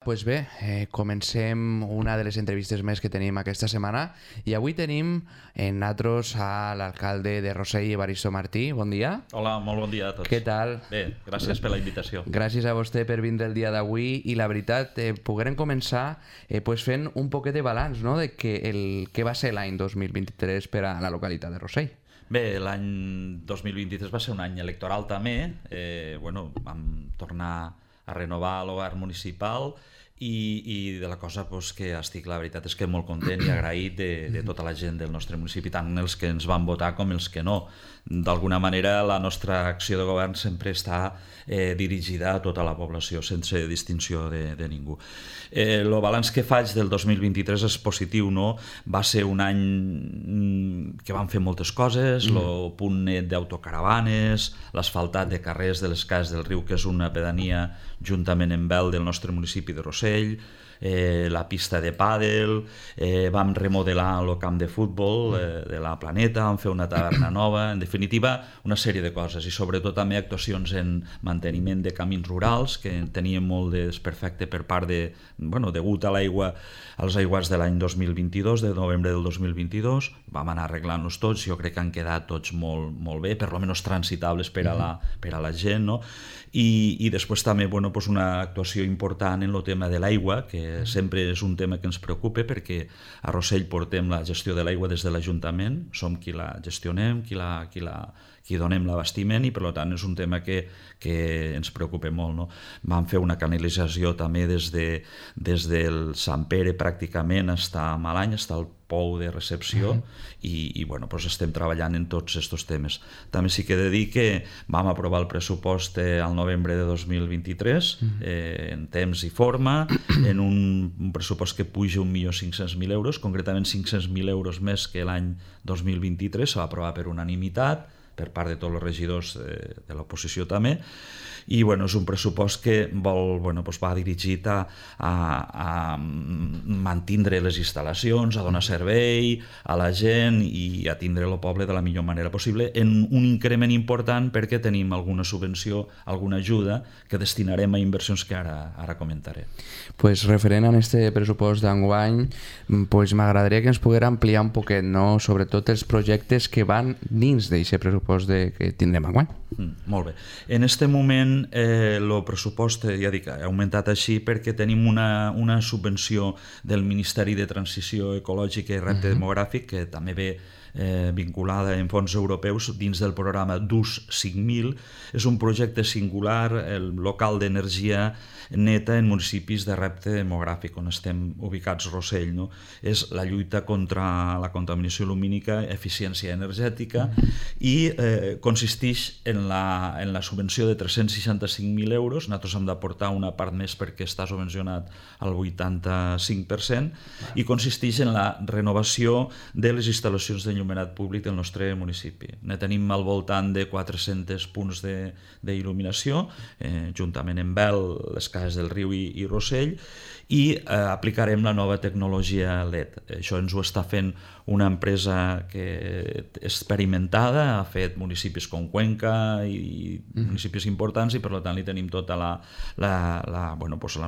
Pues bé, comencem una de les entrevistes més que tenim aquesta setmana i avui tenim en nosaltres a l'alcalde de Rossell, Evaristo Martí. Bon dia. Hola, molt bon dia a tots. Què tal? Bé, gràcies per la invitació. Gràcies a vostè per vindre el dia d'avui i la veritat, poguérem començar fent un poquet de balanç, no?, de què va ser l'any 2023 per a la localitat de Rossell. Bé, l'any 2023 va ser un any electoral també. Vam tornar a renovar el govern municipal i de la cosa que estic, la veritat és que molt content i agraït de tota la gent del nostre municipi, tant els que ens van votar com els que no. D'alguna manera la nostra acció de govern sempre està dirigida a tota la població, sense distinció de ningú. El balanç que faig del 2023 és positiu, no? Va ser un any que vam fer moltes coses, el punt net d'autocaravanes, l'asfaltat de carrers de les Cases del Riu, que és una pedania juntament amb el del nostre municipi de Rossell, la pista de pàdel, vam remodelar el camp de futbol de la Planeta, vam fer una taverna nova, en definitiva una sèrie de coses i sobretot també actuacions en manteniment de camins rurals que teníem molt de desperfecte per part degut a l'aigua, als aiguats de l'any 2022, de novembre del 2022, vam anar arreglant-los tots, jo crec que han quedat tots molt bé, per almenys transitables per a la gent, no? I després també una actuació important en el tema de l'aigua, que sempre és un tema que ens preocupa perquè a Rossell portem la gestió de l'aigua des de l'Ajuntament, som qui la gestionem, qui donem l'abastiment i per tant és un tema que ens preocupa molt, no? Vam fer una canalització també des del Sant Pere pràcticament fins a Malany, fins al pou de recepció i estem treballant en tots aquests temes. També sí que he de dir que vam aprovar el pressupost al novembre de 2023 en temps i forma, en un pressupost que puja 1.500.000 euros, concretament 500.000 euros més que l'any 2023, se va aprovar per unanimitat per part de tots els regidors de l'oposició també, i és un pressupost que va dirigit a mantindre les instal·lacions, a donar servei a la gent i a tindre el poble de la millor manera possible, en un increment important perquè tenim alguna subvenció, alguna ajuda que destinarem a inversions que ara comentaré. Referent a aquest pressupost d'enguany, m'agradaria que ens poguera ampliar un poquet, no?, sobretot els projectes que van dins d'aquest pressupost que tindrem enguany. Molt bé. En aquest moment el pressupost, ja dic, ha augmentat així perquè tenim una subvenció del Ministeri de Transició Ecològica i Repte Demogràfic que també ve vinculada en fons europeus dins del programa DUS 5000. És un projecte singular, el local d'energia neta en municipis de repte demogràfic on estem ubicats Rossell, no? És la lluita contra la contaminació lumínica, eficiència energètica i consisteix en la subvenció de 365.000 euros. Nosaltres hem d'aportar una part més perquè està subvencionat al 85% i consisteix en la renovació de les instal·lacions d'enllumenat públic del nostre municipi. Ne tenim al voltant de 400 punts d'il·luminació, juntament amb les Cases del Riu i Rossell, i aplicarem la nova tecnologia LED. Això ens ho està fent una empresa que experimentada, ha fet municipis com Cuenca i municipis importants i per tant li tenim tota la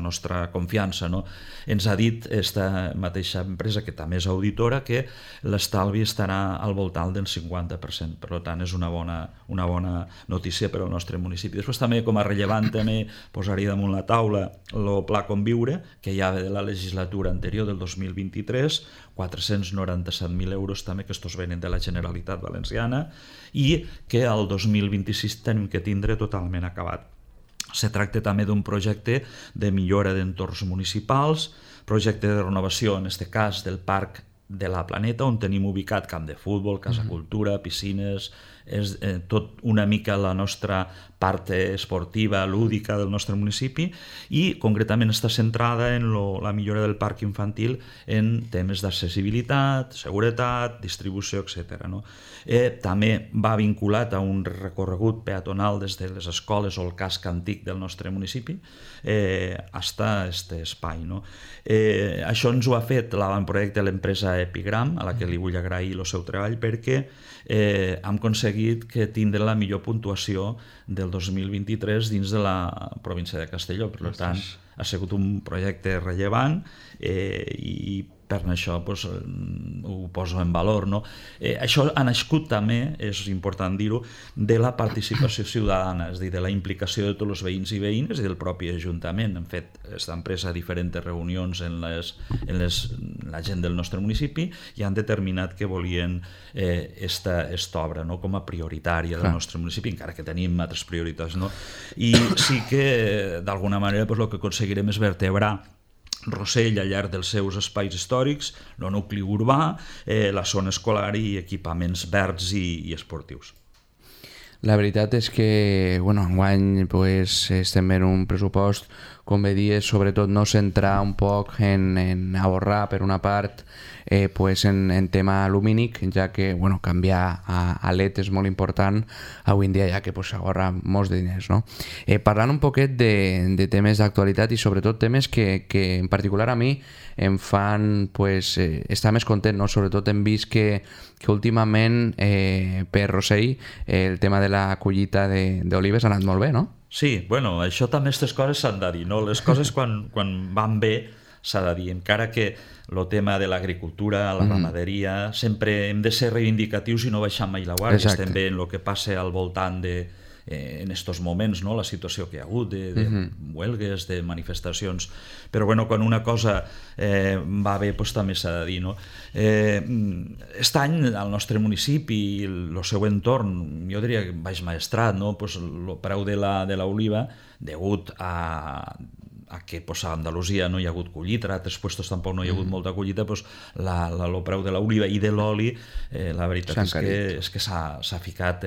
nostra confiança, no? Ens ha dit aquesta mateixa empresa, que també és auditora, que l'estalvi estarà al voltant del 50%, per tant és una bona notícia per al nostre municipi. Després també, com a rellevant, també posaria damunt la taula el Pla Conviure, que ja ve de la legislatura anterior del 2023, 497.000 euros també, que estos venen de la Generalitat Valenciana i que al 2026 tenim que tindre totalment acabat. Se tracta també d'un projecte de millora d'entorns municipals, projecte de renovació, en aquest cas, del Parc de la Planeta, on tenim ubicat camp de futbol, casa cultura, piscines, és tot una mica la nostra part esportiva, lúdica del nostre municipi i concretament està centrada en la millora del parc infantil en temes d'accessibilitat, seguretat, distribució, etc. També va vinculat a un recorregut peatonal des de les escoles o el casc antic del nostre municipi fins a aquest espai. Això ens ho ha fet l'avantprojecte de l'empresa Epigram, a la que li vull agrair el seu treball perquè hem aconseguit que tindre la millor puntuació del el 2023 dins de la província de Castelló. Per tant, ha sigut un projecte rellevant i per això pues, ho poso en valor. No? Això ha nascut també, és important dir-ho, de la participació ciutadana, és a dir, de la implicació de tots els veïns i veïnes i del propi Ajuntament. Han fet, estan presa diferents reunions en la gent del nostre municipi i han determinat que volien esta obra, no? Com a prioritària del nostre municipi, encara que tenim altres prioritats. No? I sí que, d'alguna manera, pues, el que aconseguirem és vertebrar Rossell al llarg dels seus espais històrics, el nucli urbà, la zona escolar i equipaments verds i esportius. La veritat és que, enguany estem en un pressupost, com bé dies, sobretot no centrar un poc en ahorrar, per una part, en tema lumínic, ja que canviar a LED és molt important avui en dia, ja que s'ahorra molts de diners. No? Parlant un poquet de temes d'actualitat i sobretot temes que en particular a mi em fan estar més content, no? Sobretot hem vist que últimament per Rossell el tema de la collita d'olives ha anat molt bé, no? Sí, això també, aquestes coses s'han de dir, no? Les coses quan van bé s'ha de dir, encara que el tema de l'agricultura, la ramaderia, sempre hem de ser reivindicatius i no baixar mai la guàrdia. Exacte. Estem bé en el que passa al voltant en estos moments, no? La situació que hi ha hagut de huelgues, de manifestacions, però quan una cosa va bé també s'ha de dir, no? Aquest any al nostre municipi i el seu entorn, jo diria que Baix Maestrat, no? El preu de l'oliva, degut a que a Andalusia no hi ha hagut collita, a altres llocs tampoc no hi ha hagut molta collita, el preu de l'oliva i de l'oli, la veritat és que s'ha ficat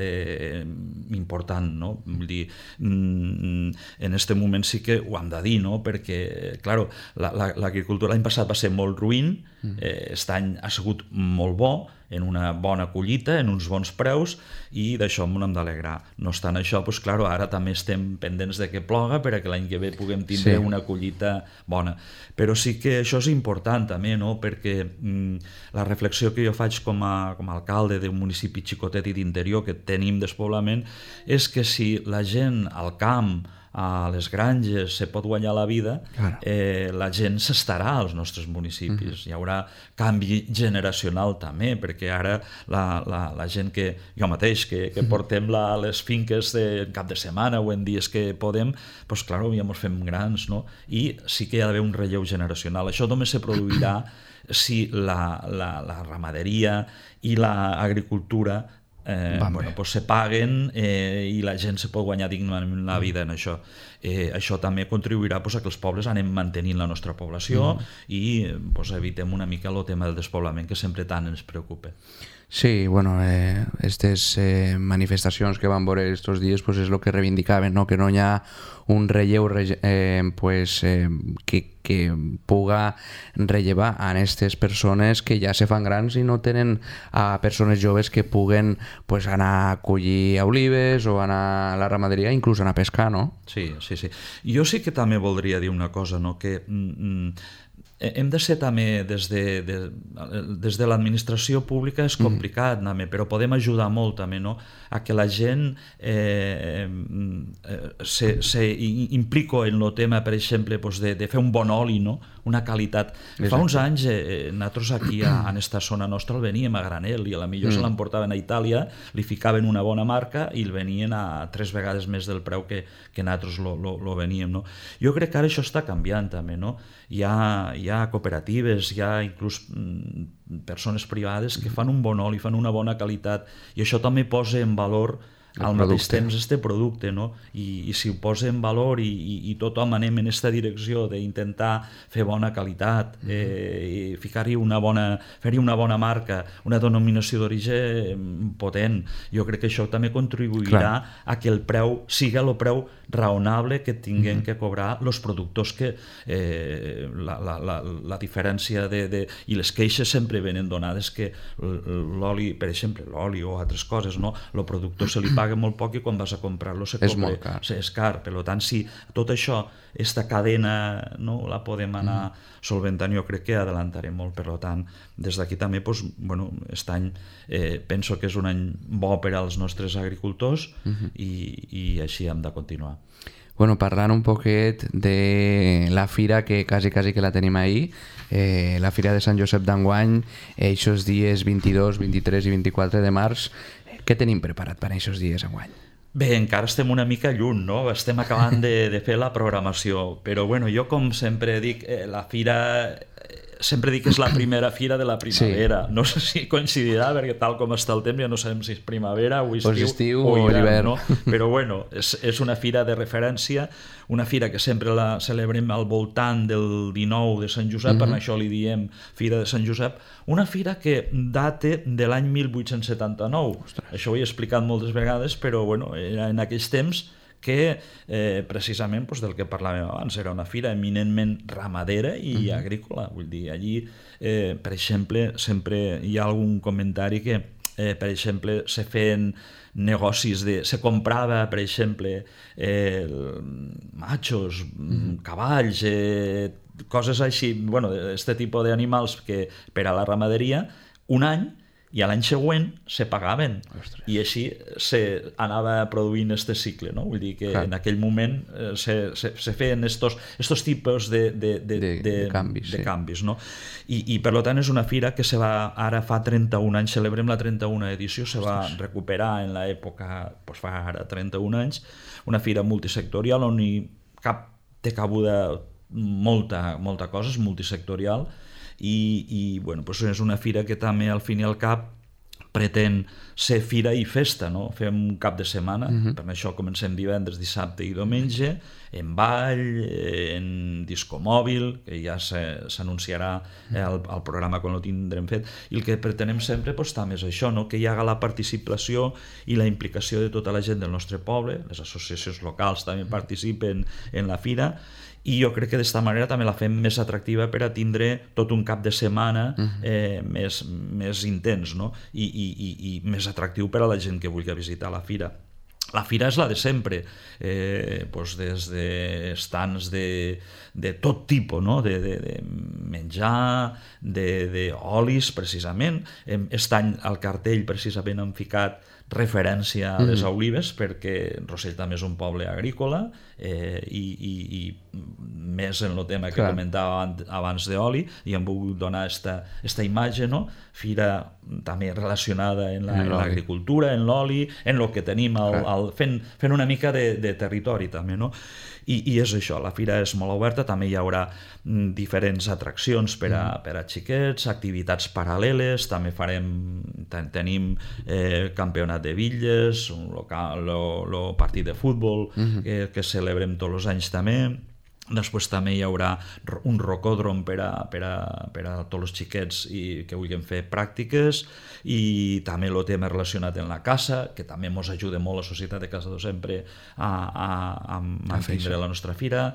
important, no? Vull dir, en aquest moment sí que ho hem de dir, no? Perquè, clar, l'agricultura l'any passat va ser molt ruïn, aquest any ha sigut molt bo, en una bona collita, en uns bons preus, i d'això m'ho hem d'alegrar. No obstant això, ara també estem pendents de que ploga perquè l'any que ve puguem tindre una collita bona. Però sí que això és important també, no? Perquè la reflexió que jo faig com a alcalde d'un municipi xicotet i d'interior que tenim despoblament és que si la gent al camp, a les granges, se pot guanyar la vida, la gent s'estarà als nostres municipis. Hi haurà canvi generacional també, perquè ara la gent que jo mateix, que portem les finques en cap de setmana o en dies que podem, doncs clar, ja ens fem grans, no? I sí que hi ha d'haver un relleu generacional. Això només se produirà si la ramaderia i l'agricultura se paguen i la gent se pot guanyar dignament la vida en això. Això també contribuirà a que els pobles anem mantenint la nostra població i evitem una mica el tema del despoblament que sempre tant ens preocupa. Sí, aquestes manifestacions que van veure aquests dies és el que reivindicaven, no? Que no hi ha un relleu que puga rellevar a aquestes persones que ja se fan grans i no tenen a persones joves que puguen anar a collir olives o anar a la ramaderia, inclús anar a pescar, no? Sí. Jo sí que també voldria dir una cosa, no? Que hem de ser també des de l'administració pública és complicat, però podem ajudar molt també, no? A que la gent s'implica en el tema, per exemple, de fer un bon oli, no? Una qualitat. Fa uns anys nosaltres aquí en esta zona nostra el veníem a granel i a la millor se l'emportaven a Itàlia, li ficaven una bona marca i el venien a 3 vegades més del preu que nosaltres lo veníem, no? Jo crec que ara això està canviant també, no? Hi ha cooperatives, hi ha inclús persones privades que fan un bon oli, fan una bona qualitat, i això també posa en valor al mateix temps este producte, no? I si ho posa en valor i tothom anem en aquesta direcció d'intentar fer bona qualitat, fer-hi una bona marca, una denominació d'origen potent, jo crec que això també contribuirà a que el preu siga el preu raonable que tinguem que cobrar els productors, que la diferència i les queixes sempre venen donades que l'oli, per exemple, l'oli o altres coses, no? El productor se li paga paga molt poc i quan vas a comprar-lo és molt car. És car. Per tant, si tot això, aquesta cadena, no, la podem anar solventant, jo crec que adelantarem molt. Per tant, des d'aquí també, aquest any penso que és un any bo per als nostres agricultors i així hem de continuar. Bueno, parlant un poquet de la fira, que quasi que la tenim ahir, la Fira de Sant Josep d'enguany, aquests dies 22, 23 i 24 de març, què tenim preparat per aquests dies enguany? Bé, encara estem una mica lluny, no? Estem acabant de fer la programació, però bueno, jo com sempre dic, la fira... Sempre dic que és la primera fira de la primavera. Sí. No sé si coincidirà, perquè tal com està el temps ja no sabem si és primavera o estiu o hivern. No? Però bueno, és una fira de referència, una fira que sempre la celebrem al voltant del 19 de Sant Josep, per això li diem Fira de Sant Josep, una fira que data de l'any 1879. Ostres. Això ho he explicat moltes vegades, però bueno, era en aquells temps que precisament del que parlàvem abans, era una fira eminentment ramadera i agrícola. Vull dir, allí, per exemple, sempre hi ha algun comentari que, per exemple, se feien negocis se comprava, per exemple, machos, cavalls, coses així, bueno, d'aquest tipus d'animals que per a la ramaderia, un any, i a l'any següent se pagaven. Ostres. I així anava produint este cicle, no? Vull dir que en aquell moment se feien estos tipus de canvis, no? I per tant és una fira que ara fa 31 anys, celebrem la 31a edició, se va recuperar en l'època, fa ara 31 anys, una fira multisectorial on té cabuda molta cosa, és multisectorial, i bueno, és una fira que també al fin i al cap pretén ser fira i festa, no? Fem un cap de setmana, per això comencem divendres, dissabte i diumenge, en ball, en disco mòbil, que ja s'anunciarà al programa quan ho tindrem fet, i el que pretenem sempre també és això, no? Que hi haga la participació i la implicació de tota la gent del nostre poble, les associacions locals també participen en la fira, i jo crec que d'esta manera també la fem més atractiva per a tindre tot un cap de setmana més intens, no? I més atractiu per a la gent que vulgui visitar la fira. La fira és la de sempre, des de estants de tot tipus, no? De menjar, d'olis, precisament. Aquest any al cartell precisament han ficat referència a les olives, perquè Rossell també és un poble agrícola i més en el tema que comentava abans d'oli, i hem volgut donar aquesta imatge, no? Fira també relacionada en l'agricultura, en l'oli, en el que tenim, fent una mica de territori també, no? I és això, la fira és molt oberta, també hi haurà diferents atraccions per a xiquets, activitats paral·leles, també tenim campionat de bitlles, el partit de futbol que celebrem tots els anys també. Després també hi haurà un rocòdrom per a tots els xiquets que vulguin fer pràctiques, i també el tema relacionat amb la caça, que també ens ajuda molt la Societat de Caçadors sempre a mantindre la nostra fira,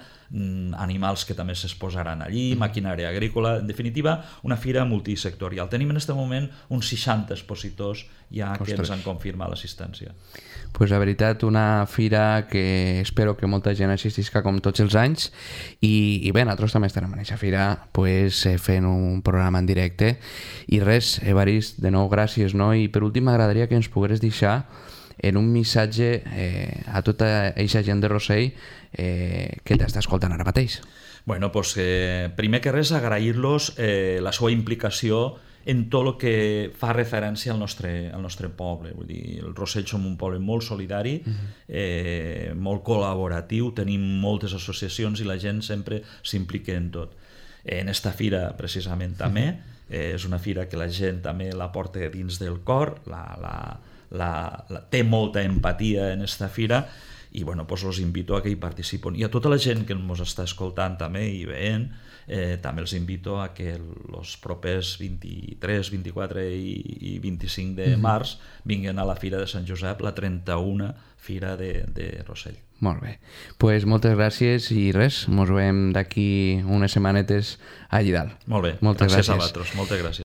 animals que també s'exposaran allí, maquinària agrícola, en definitiva, una fira multisectorial. Tenim en aquest moment uns 60 expositors ja que ens han confirmat l'assistència. Pues la veritat, una fira que espero que molta gent assistisca com tots els anys, i bé, nosaltres també estarem en aquesta fira fent un programa en directe. I res, Evarist, de nou gràcies, no? I per últim m'agradaria que ens pogueres deixar en un missatge a tota aquesta gent de Rossell que t'està escoltant ara mateix. Bueno, doncs primer que res agrair-los la seva implicació en tot el que fa referència al nostre poble. Vull dir, el Rossell som un poble molt solidari, molt col·laboratiu, tenim moltes associacions i la gent sempre s'implica en tot. En esta fira, precisament, també, és una fira que la gent també la porta dins del cor, té molta empatia en esta fira, i bueno, doncs els invito a que hi participin. I a tota la gent que ens està escoltant també i veient, també els invito a que els propers 23, 24 i 25 de març vinguin a la Fira de Sant Josep, la 31a Fira de Rossell. Molt bé. Pues moltes gràcies i res, ens veiem d'aquí unes setmanetes allí dalt. Molt bé, gràcies a vosaltres, moltes gràcies.